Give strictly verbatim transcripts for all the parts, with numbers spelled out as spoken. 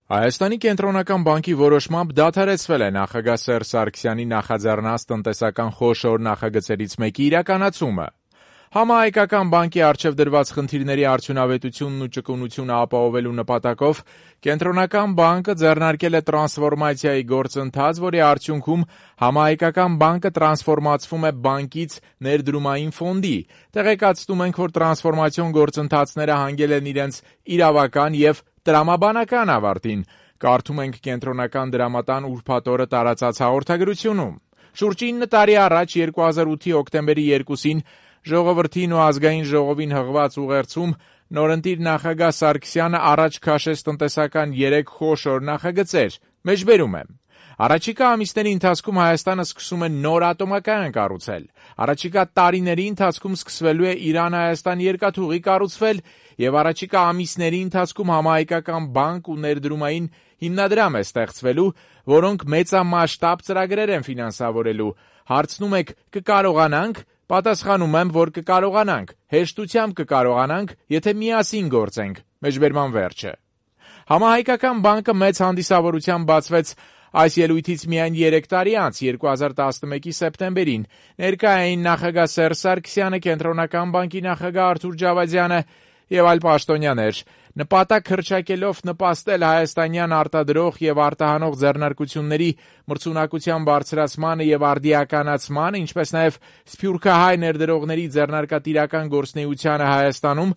Հայաստանի կենտրոնական բանկի որոշմամբ դադարեցվել է նախագահ Սերժ Սարգսյանի նախաձեռնած տնտեսական խոշոր նախագծերից մեկի իրականացումը։ Համահայկական բանկի առջև դրված խնդիրների արդյունավետությունն ու ճկունությունը ապահովելու նպատակով կենտրոնական բանկը ձեռնարկել է տրանսֆորմացիայի գործընթաց, որի արդյունքում Համահայկական բանկը տրանսֆորմացվում է բանկից ներդրումային ֆոնդի։ Տեղեկացնում ենք, որ տրանսֆորմացիոն գործընթացները հանգել են իրենց իրավական եւ տրամաբանական ավարտին, կարդում ենք կենտրոնական դրամատան ուրբաթ օրը տարածած հաղորդագրությունում։ Շուրջ ինը տարի առաջ երկու հազար ութի հոկտեմբերի երկուսին Ժողովրդին ու ազգային ժողովին հղված ուղերձում նորընտիր նախագահ Սարգսյանը առաջ քաշեց տնտեսական երեք խոշոր նախագծեր։ Մեջբերում եմ. Առաջիկա ամիսների ընթացքում Հայաստանը սկսում է նոր ատոմակայան կառուցել։ Առաջիկա տարիների ընթացքում սկսվելու է Իրան-Հայաստան երկաթուղի կառուցվել եւ առաջիկա ամիսների ընթացքում Համահայկական բանկ ու ներդրումային հիմնադրամ է ստեղծվելու, որոնք մեծամասշտաբ ծրագրեր են ֆինանսավորելու։ Հարցնում եք՝ կկարողանանք։ Պատասխանում եմ, որ կկարողանանք, հեշտությամբ կկարողանանք, եթե միասին գործենք։ Մեջբերման վերջը։ Համահայկական բանկը մեծ հանդիսավորությամբ բացվեց այս ելույթից միայն երեք տարի անց, երկու հազար տասնմեկի սեպտեմբերին։ Ներկա էին նախագահ Սերժ Սարգսյանը, կենտրոնական բանկի նախագահ Արթուր Ջավադյանը եւ այլ պաշտոնյաներ, նպատակ հռչակելով նպաստել հայաստանյան արտադրող եւ արտահանող ձեռնարկությունների մրցունակության բարձրացմանը եւ արդիականացմանը, ինչպես նաեւ սփյուռքահայ ներդրողների ձեռնարկատիրական գործունեությանը Հայաստանում,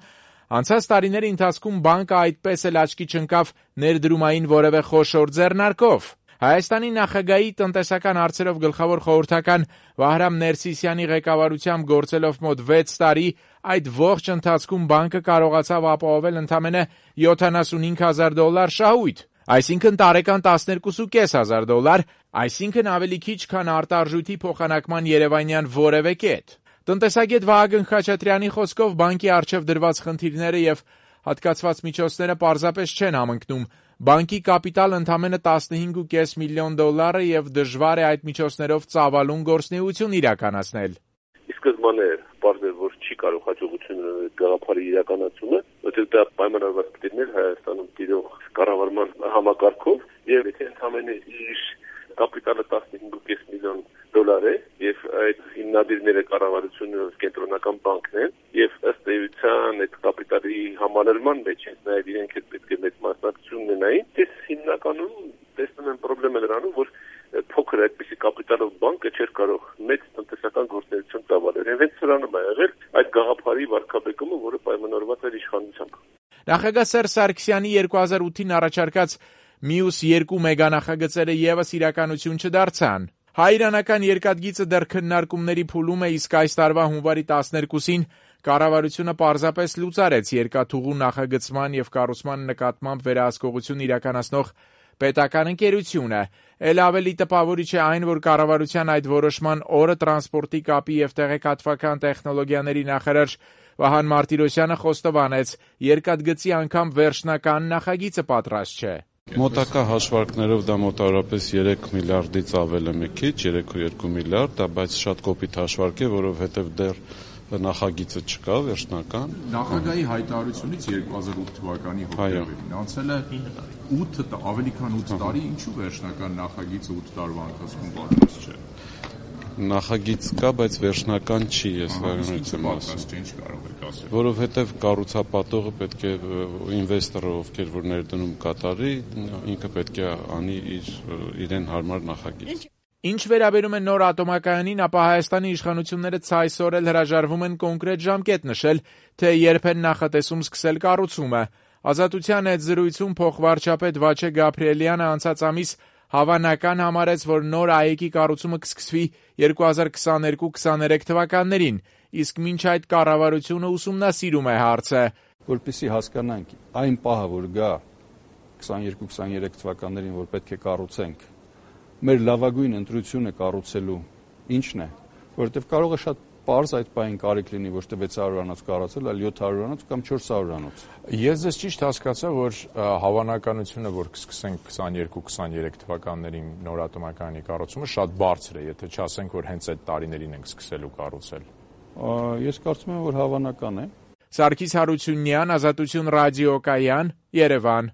անցած տարիների ընթացքում բանկը այդպես էլ աչքի չընկավ ներդրումային որևէ խոշոր ձեռնարկով։ Հայաստանի նախագահի տնտեսական հարցերով գլխավոր խորհրդական Վահրամ Ներսիսյանի ղեկավարությամբ գործելով մոտ վեց տարի, այդ ողջ ընթացքում բանկը կարողացավ ապահովել ընդամենը յոթանասունհինգ հազար դոլար շահույթ, այսինքն տարեկան տասներկու հազար պանյակ դոլար, այսինքն ավելի քիչ, քան արտարժույթի փոխանակման երևանյան որևէ կետ։ Տնտեսագետ Վահագն Խաչատրյանի խոսքով բանկի առջև դրված խնդիրները եւ հատկացված միջոցները պարզապես չեն համընկնում։ Բանկի կապիտալ ընդամենը տասնհինգ ու կես միլիոն դոլար է եւ դժվար է այդ միջոցներով ծավալուն գործունեություն իրականացնել։ Ի սկզբանե պարզ էր, որ չի կարող հաջողություն ունենալ գաղափարի իրականացումը, որտեղ դա պայմանավորված պետք է Հայաստանում տիրող կառավարման համակարգով, եւ եթե ընդամենը իր կապիտալը տասնհինգ ու կես միլիոն դոլար է եւ այդ հիմնադիրները կառավարությունը կենտրոնական բանկն են եւ ըստ էության այդ կապիտալի համալրման մեջ են նաեւ իրենք էլ պետք է մեծ մասնակցություն ունենային, դες հիմնականում տեսնում են խնդրեմը նրանում, որ փոքր այդպիսի կապիտալով բանկը չէր կարող մեծ տնտեսական գործունեություն ծավալել։ Եվ հենց սրանում է եղել այդ գաղափարի վարկաբեկումը, որը պայմանավորված էր իշխանությամբ։ Նախագահ Սերժ Սարգսյանի երկու հազար ութին առաջարկած մյուս երկու մեգանախագծերը եւս իրականություն չդարձան։ Հայ-իրանական երկաթգիծը դեռ քննարկումների փուլում է, իսկ այս տարվա հունվարի տասներկուսին կառավարությունը պարզապես լուծարեց երկաթուղու նախագծման եւ կառուցման նկատմամբ վերահսկողություն իրականացնող պետական ընկերությունը։ Էլ ավելի տպավորիչ է այն, որ կառավարության այդ որոշման օրը տրանսպորտի կապի եւ տեղեկատվական տեխնոլոգիաների նախարար Վահան Մարտիրոսյանը խոստովանեց, երկաթգծի անգամ վերջնական նախագիծը պատրաստ չէ։ Մոտակա հաշվարկներով դա մոտավորապես երեք միլիարդից ավել է մի քիչ, երեք ու երկու միլիարդ, դա բայց շատ կոպիտ հաշվարկ է, որովհետև դեռ նախագիծը չկա վերջնական։ Նախագահի հայտարարությունից երկու հազար ութ թվականի հոկտեմբերին անցել է ութ ավելի քան ութ տարի, ինչու վերջնական նախագիծը ութ տարվա ընթացքում պատրաստ չէ։ Նախագիծ կա, բայց վերջնական չի, ես վարունից եմ ասում։ Որովհետև կառուցապատողը պետք է ինվեստորը, ովքեր որ ներդնում կատարի, ինքը պետք է անի իր իրեն հարմար նախագիծ։ Ինչ վերաբերում է նոր ատոմակայանին, ապա Հայաստանի իշխանությունները ցայսօր էլ հրաժարվում են կոնկրետ ժամկետ նշել, թե երբ են նախատեսում սկսել կառուցումը։ Ազատության հետ զրույցում փոխվարչապետ Վաչե Գաբրիելյանը անցած ամիս հավանական համարեց, որ նոր ԱԵԿ-ի կառուցումը կսկսվի երկու հազար քսաներկու քսաներեք թվականներին, իսկ մինչ այդ կառավարությունը ուսումնասիրում է հարցը։ Որպեսզի հասկանանք այն պահը, որ գա քսաներկու քսաներեք թվականներին, որ պետք է կառուցենք, մեր լավագույն ընտրությունը կառուցելու ինչն է, որովհետև կարող է շատ պարզ այդ պահին կարիք լինի ոչ թե վեց հարյուրանոց կառուցել, այլ յոթ հարյուրանոց կամ չորս հարյուրանոց։ Ես ձեզ ճիշտ հասկացա, որ հավանականությունը, որ կսկսենք քսաներկու քսաներեք թվականներին նոր ատոմակայանի կառուցումը շատ բարձր է, եթե չասենք, որ հենց այդ տարիներին ենք սկսելու կառուցել։ Ես կարծում եմ, որ հավանական է։ Սարգիս Հարությունյան, Ազատություն ռադիոկայան, Երևան։